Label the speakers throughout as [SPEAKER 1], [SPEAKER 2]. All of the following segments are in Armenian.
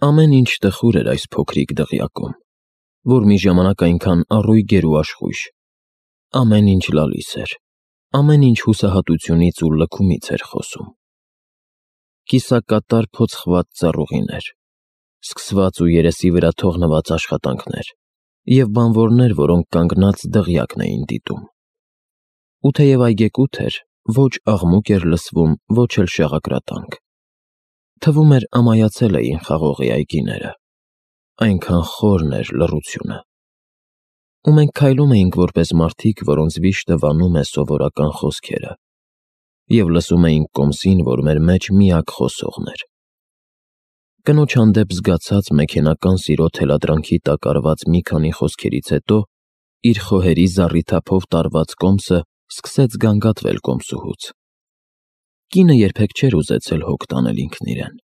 [SPEAKER 1] Ամեն ինչ տխուր էր այս փոքրիկ դղյակում, որ մի ժամանակ այնքան առույգ էր ու աշխույժ։ Ամեն ինչ լալիս էր, ամեն ինչ հուսահատությունից ու լքումից էր խոսում։ Կիսակատար փոցխված ծառուղիներ, սկսված ու երեսի վրա թողնված աշխատանքներ և բանվորներ, որոնք կանգնած դղյակն էին դիտում։ Ու թեև այգեկութ էր, ոչ աղմուկ էր լսվում, ոչ էլ շաղակրատանք։ Թվում էր ամայացել էին խաղողի այգիները, այնքան խորն էր լռությունը։ Ու մենք քայլում էինք որպես մարդիկ, որոնց վիշտը վանում է սովորական խոսքերը, և լսում էինք կոմսին, որ մեր մեջ միակ խոսողն էր։ Կնոջ հանդեպ զգացած մեքենական սիրո թելադրանքի տակ արված մի քանի խոսքերից հետո իր խոհերի զառիթափով տարված կոմսը սկսեց գանգատվել կոմսուհուց։ Կինը երբեք չէր ուզեցել հոգ տանել ինքն իրեն,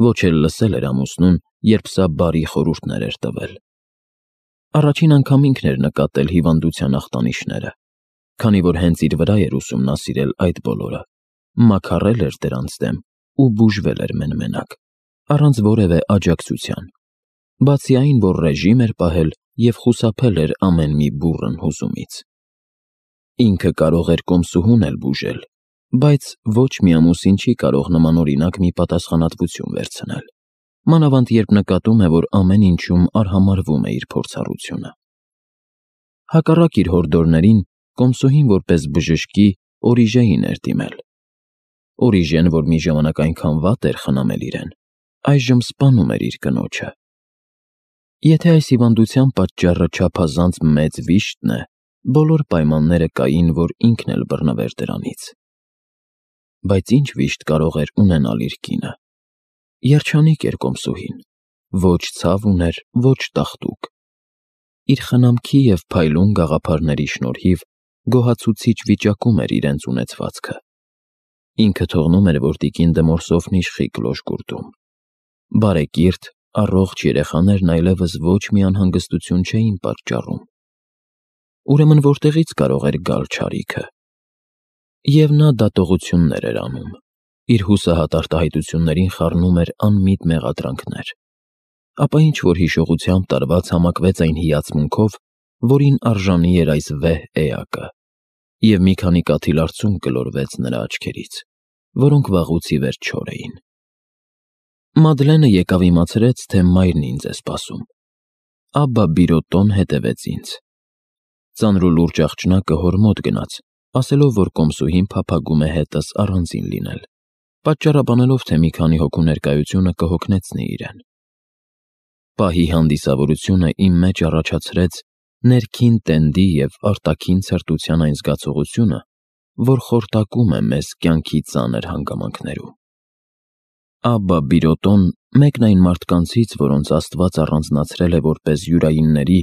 [SPEAKER 1] ոչ էլ լսել էր ամուսնուն, երբ սա բարի խորհուրդներ էր տվել։ Առաջին անգամ ինքն էր նկատել հիվանդության ախտանիշները, քանի որ հենց իր վրա էր ուսումնասիրել այդ բոլորը, մաքարել էր դրանց դեմ ու բուժվել էր մեն-մենակ, առանց որևէ աջակցության, բացի այն, որ ռեժիմ էր պահել և խուսափել էր ամեն մի բուռն հուզումից։ Ինքը կարող էր կոմսուհուն էլ բուժել, բայց ոչ մի ամուսին չի կարող նմանօրինակ մի պատասխանատվություն վերցնել, մանավանդ երբ նկատում է, որ ամեն ինչում արհամարհվում է իր փորձառությունը։ Հակառակ իր հորդորներին, կոմսուհին որպես բժշկի Օրիժեին էր դիմել։ Օրիժեն, որ մի ժամանակ այնքան վատ էր խնամել իրեն, այժմ սպանում էր իր կնոջը։ Եթե այս հիվանդության պատճառը չափազանց մեծ վիշտն է, բոլոր պայմանները կային, որ ինքն էլ բռնվեր դրանից։ Բայց ինչ վիշտ կարող էր ունենալ իր կինը։ Երջանիկ էր կոմսուհին, ոչ ցավ ուներ, ոչ տաղտուկ։ Իր խնամքի և փայլուն գաղափարների շնորհիվ գոհացուցիչ վիճակում էր իրենց ունեցվածքը։ Ինքը թողնում էր, որ տիկին Դմորսովն իշխի կլոշ-գուրդում։ Բարեկիրթ, առողջ երեխաներն այլևս ոչ մի անհանգստություն չէին պատճառում։ Ուրեմն որտեղից կարող էր գալ չարիքը։ Եվ նա դատողություններ էր անում, իր հուսահատ արտահայտություններին խառնում էր անմիտ մեղադրանքներ, ապա ինչ-որ հիշողությամբ տարված համակվեց այն հիացմունքով, որին արժանի էր այս վեհ էակը, և մի քանի կաթիլ արցունք գլորվեց նրա աչքերից, որոնք վաղուց ի վեր չոր էին։ Մադլենը եկավ իմացրեց, թե մայրն ինձ է սպասում։ Աբբա Բիրոտոն հետևեց ինձ։ Ծանր ու լուրջ աղջնակը հոր մոտ գնաց, ասելով, որ կոմսուհին փափագում է հետս առանձին լինել, պատճառաբանելով, թե մի քանի հոգու ներկայությունը կհոգնեցնի իրեն։ Պահի հանդիսավորությունը իմ մեջ առաջացրեց ներքին տենդի և արտաքին ցրտության այն զգացողությունը, որ խորտակում է մեզ կյանքի ծանր հանգամանքներում։ Աբբա Բիրոտոն, մեկն այն մարդկանցից, որոնց Աստված առանձնացրել է որպես յուրայինների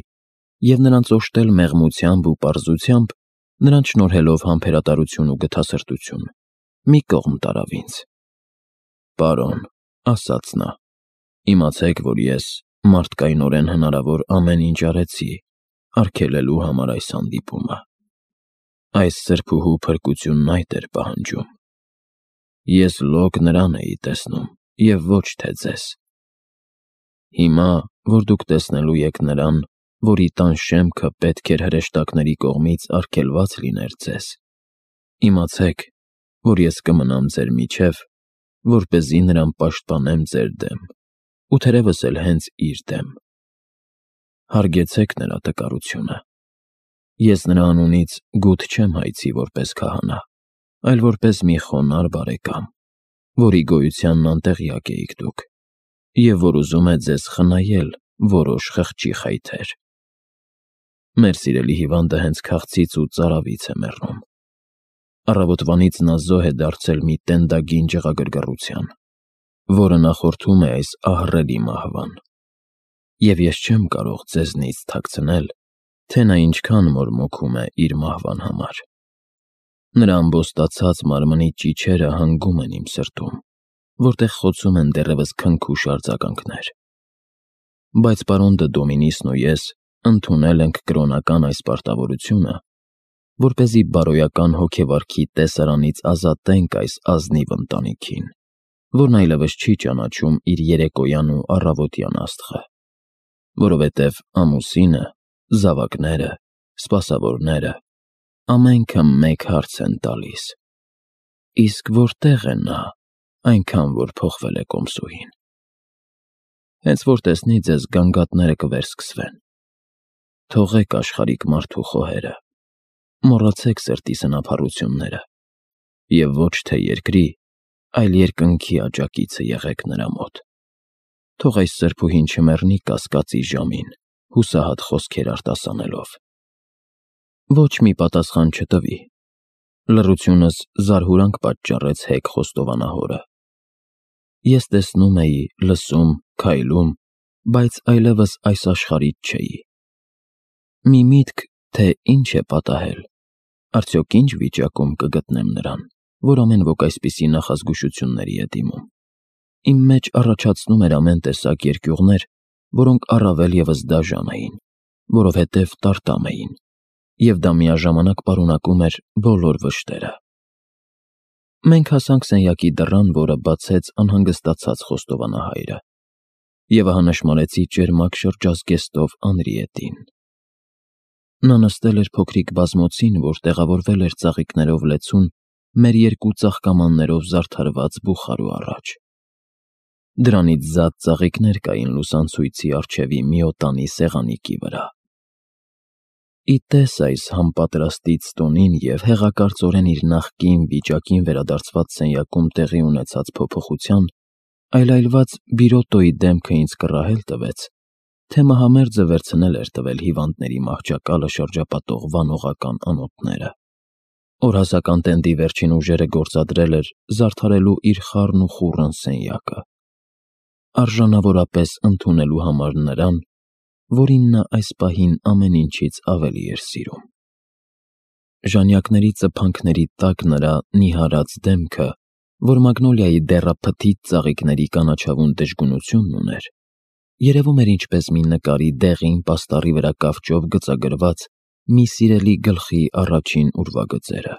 [SPEAKER 1] և նրանց օժտել մեղմությամբ ու պարզությամբ, նրանց շնորհելով համբերատարություն ու գթասրտություն, մի կողմ տարավ ինձ։ «Պարոն», ասաց նա, «իմացեք, որ ես մարդկայնորեն հնարավոր ամեն ինչ արեցի արգելելու համար այս հանդիպումը։ Այս սրբուհու փրկությունն այդ էր պահանջում։ Ես լոկ նրան էի տեսնում և ոչ թե ձեզ։ Հիմա, որ դուք տեսնելու եք նրան, որի տան շեմքը պետք էր հրեշտակների կողմից արգելված լիներ ձեզ, իմացեք, որ ես կմնամ ձեր միջև, որպեսզի նրան պաշտպանեմ ձեր դեմ ու թերևս էլ հենց իր դեմ։ Հարգեցեք նրա տկարությունը։ Ես նրա անունից գութ չեմ հայցի որպես քահանա, այլ որպես մի խոնարհ բարեկամ, որի գոյությանն անտեղյակ էիք դուք, և որ ուզում է ձեզ խնայել որոշ խղճի խայթեր։ Մեր սիրելի հիվանդը հենց քաղցից ու ծարավից է մեռնում։ Առավոտվանից նա զոհ է դարձել մի տենդագին ջղագրգռության, որը նախորդում է այս ահռելի մահվան։ Եվ ես չեմ կարող ձեզնից թաքցնել, թե նա ինչքան մորմոքում է իր մահվան համար։ Նրա ամբոստացած մարմնի ճիչերը հանգում են իմ սրտում, որտեղ խոցում են դեռևս քնքուշ արձագանքներ։ Բայց պարոն դը Դոմինիսն ու ես ընդունել ենք կրոնական այս պարտավորությունը, որպեսզի բարոյական հոգեվարքի տեսարանից ազատենք այս ազնիվ ընտանիքին։ որն այլևս չի ճանաչում իր երեկոյան ու առավոտյան աստղը, որովհետև ամուսինը, զավակները, սպասավորները ամենքը մեկ հարց են տալիս. իսկ որտե՞ղ է նա, այնքան որ փոխվել է կոմսուհին։ Հենց որ տեսնի ձեզ, գանգատները կվերսկսվեն։ Թողեք աշխարհիկ մարդու խոհերը, մոռացեք սրտի սնափառությունները և ոչ թե երկրի, այլ երկնքի աջակիցը եղեք նրա մոտ։ Թող այս սրբուհին չմեռնի կասկածի ժամին, հուսահատ խոսքեր արտասանելով։ Ոչ մի պատասխան չտվի։ Լռությունս զարհուրանք պատճառեց հեգ խոստովանահորը։ Ես տեսնում էի, լսում, քայլում, բայց այլևս այս աշխարհից չէի։ Մի միտք, թե ինչ է պատահել, արդյոք ինչ վիճակում կգտնեմ նրան, որ ամեն ոք այսպիսի նախազգուշությունների է դիմում։ Իմ մեջ առաջացնում էր ամեն տեսակ երկյուղներ, որոնք առավել ևս դաժան էին, որովհետև տարտամ էին, և դա միաժամանակ պարունակում էր բոլոր վշտերը։ Մենք հասանք սենյակի դռան, որը բացեց անհանգստացած խոստովանահայրը, և ահա նշմարեցի ճերմակ շրջազգեստով Անրիետին։ Նա նստել էր փոքրիկ բազմոցին, որ տեղավորվել էր ծաղիկներով լեցուն մեր երկու ծաղկամաններով զարդարված բուխարու առաջ։ Դրանից զատ ծաղիկներ կային լուսանցույցի առջևի մի օտանի սեղանիկի վրա։ Ի տես այս համապատրաստից տոնին և հեղակարծորեն իր նախկին վիճակին վերադարձված սենյակում տեղի ունեցած փոփոխության, այլայլված Բիրոտոյի դեմքը ինձ կռահել տվեց, թե մահամերձը վերցնել էր տվել հիվանդների մահճակալը շրջապատող վանողական անոթները։ Օրհասական տենդի վերջին ուժերը գործադրել էր զարդարելու իր խառն ու խուռն սենյակը, արժանավորապես ընդունելու համար նրան, որին նա այս պահին ամեն ինչից ավելի էր սիրում։ Ժանյակների ծփանքների տակ նրա նիհարած դեմքը, որ մագնոլիայի դեռափթիթ ծաղիկների կանաչավուն դժգունությունն ուներ, երևում էր ինչպես մի նկարի դեղին պաստառի վրա կավճով գծագրված մի սիրելի գլխի առաջին ուրվագծերը։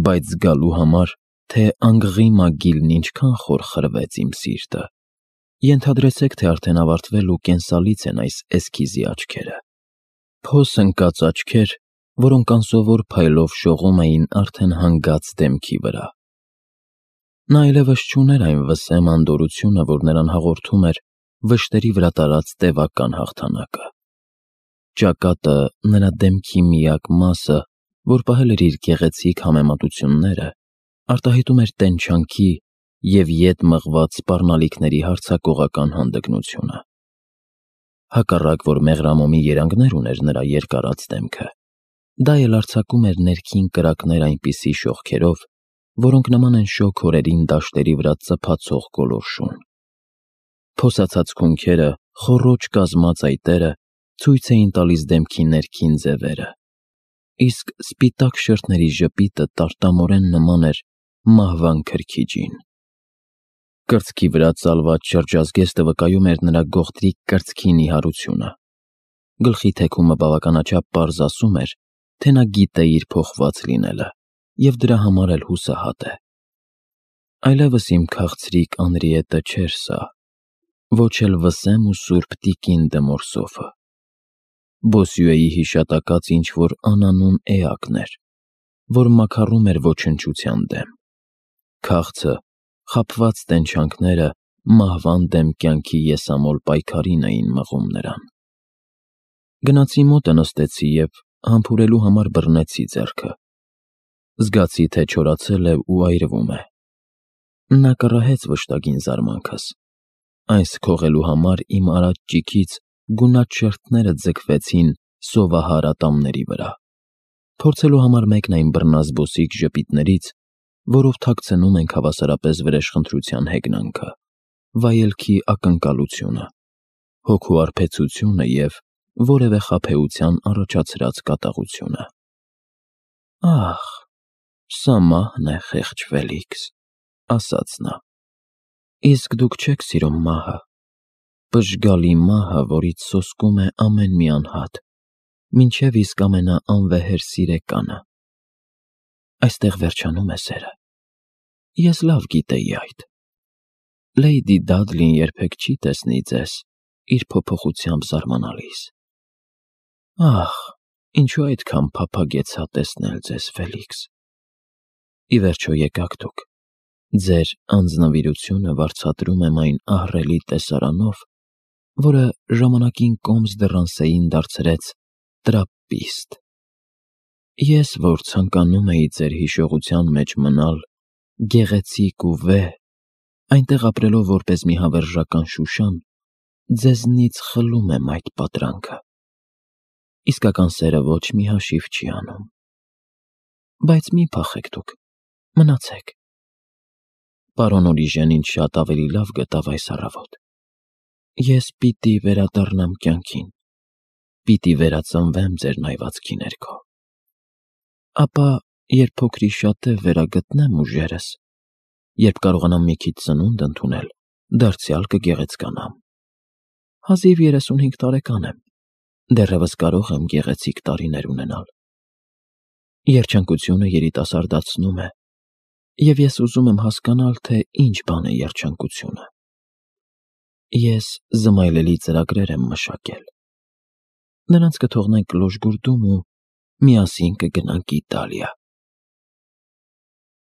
[SPEAKER 1] Բայց զգալու համար, թե անգղի մագիլն ինչքան խոր խրվեց իմ սիրտը, ենթադրեցեք, թե արդեն ավարտվել ու կենսալից են այս էսքիզի աչքերը։ Փոս ընկած աչքեր, որոնք անսովոր փայլով շողում էին արդեն հանգած դեմքի վրա։ Նա այլևս չուներ այն վսեմ անդորրությունը, որ նրան հաղորդում էր վշտերի վրա տարած տևական հաղթանակը։ Ճակատը, նրա դեմքի միակ մասը, որ պահել էր իր գեղեցիկ համեմատությունները, արտահայտում էր տենչանքի և ետ մղված սպառնալիքների հարձակողական հանդգնությունը։ Հակառակ որ մեղրամոմի երանգներ ուներ նրա երկարած դեմքը, դա էլ արձակում էր ներքին կրակներ այնպիսի շողքերով, որոնք նման են շոգ օրերին դաշտերի վրա ծփացող գոլորշուն։ Փոսացած քունքերը, խոռոչ կազմած այտերը ցույց էին տալիս դեմքի ներքին ձևերը, իսկ սպիտակ շրթների ժպիտը տարտամորեն նման էր մահվան քրքիջին։ Կրծքի վրա ծալված շրջազգեստը վկայում էր նրա գողտրիկ կրծքի նիհարությունը։ Գլխի թեքումը բավականաչափ պարզ ասում էր, թե նա գիտե իր փոխված լինելը և դրա համար էլ հուսահատ է։ Այլևս իմ քաղցրիկ Անրիետը չէր սա, ոչ էլ վսեմ ու սուրբ տիկին դը Մորսոֆը։ Բոսյուեի հիշատակած ինչ-որ անանուն էակն էր, որ մաքառում էր ոչնչության դեմ։ Քաղցը, խաբված տենչանքները մահվան դեմ կյանքի եսամոլ պայքարին էին մղում նրան։ Գնացի մոտը նստեցի և համբուրելու համար բռնեցի ձեռքը։ Զգացի, թե չորացել է ու այրվում է։ Նա կռահեց վշտագին զարմանքս։ Այս քողելու համար իմ արած ճիգից գունատ շերտները ձգվեցին սովահար ատամների վրա, փորձելու համար մեկն այն բռնազբոսիկ ժպիտներից, որով թաքցնում ենք հավասարապես վրեժխնդրության հեգնանքը, վայելքի ակնկալությունը, հոգու արբեցությունը և որևէ խաբեության առաջացրած կատաղությունը։ Ահ, սա մահն է, խեղճ Ֆելիքս, ասաց նա։ Իսկ դուք չեք սիրում մահը, պժգալի մահը, որից սոսկում է ամեն մի անհատ, մինչև իսկ ամենաանվեհեր սիրեկանը։ Այստեղ վերջանում է սերը։ Ես լավ գիտեի այդ։ Լեյդի Դադլին երբեք չի տեսնի ձեզ իր փոփոխությամբ զարմանալիս։ Ահ, ինչու այդքան փափագեցա տեսնել ձեզ, Ֆելիքս։ Ի վերջո եկաք դուք։ Ձեր անձնվիրությունը վարձատրում եմ այն ահռելի տեսարանով, որը ժամանակին կոմս դռանսեին դարձրեց տրապպիստ։ Ես, որ ցանկանում էի ձեր հիշողության մեջ մնալ գեղեցիկ ու վեհ, այնտեղ ապրելով որպես մի հավերժական Շուշան, ձեզնից խլում եմ այդ պատրանքը։ Իսկական սերը ոչ մի հաշիվ չի անում։ Բայց մի փախեք դուք, մնացեք։ Պարոն Օրիժեն ինձ շատ ավելի լավ գտավ այս առավոտ։ Ես պիտի վերադառնամ կյանքին, պիտի վերածնվեմ ձեր նայվածքի ներքո։ Ապա, երբ փոքրիշատե վերագտնեմ ուժերս, երբ կարողանամ մի քիչ ծնունդ ընդունել, դարձյալ կգեղեցկանամ։ Հազիվ 35 տարեկան եմ, դեռևս կարող եմ գեղեցիկ տարիներ ունենալ։ Երջանկությունը երիտասարդացնում է, և ես ուզում եմ հասկանալ, թե ինչ բան է երջանկությունը։ Ես զմայլելի ծրագրեր եմ մշակել։ Նրանց կթողնենք Լոժգուրդում ու միասին կգնանք Իտալիա։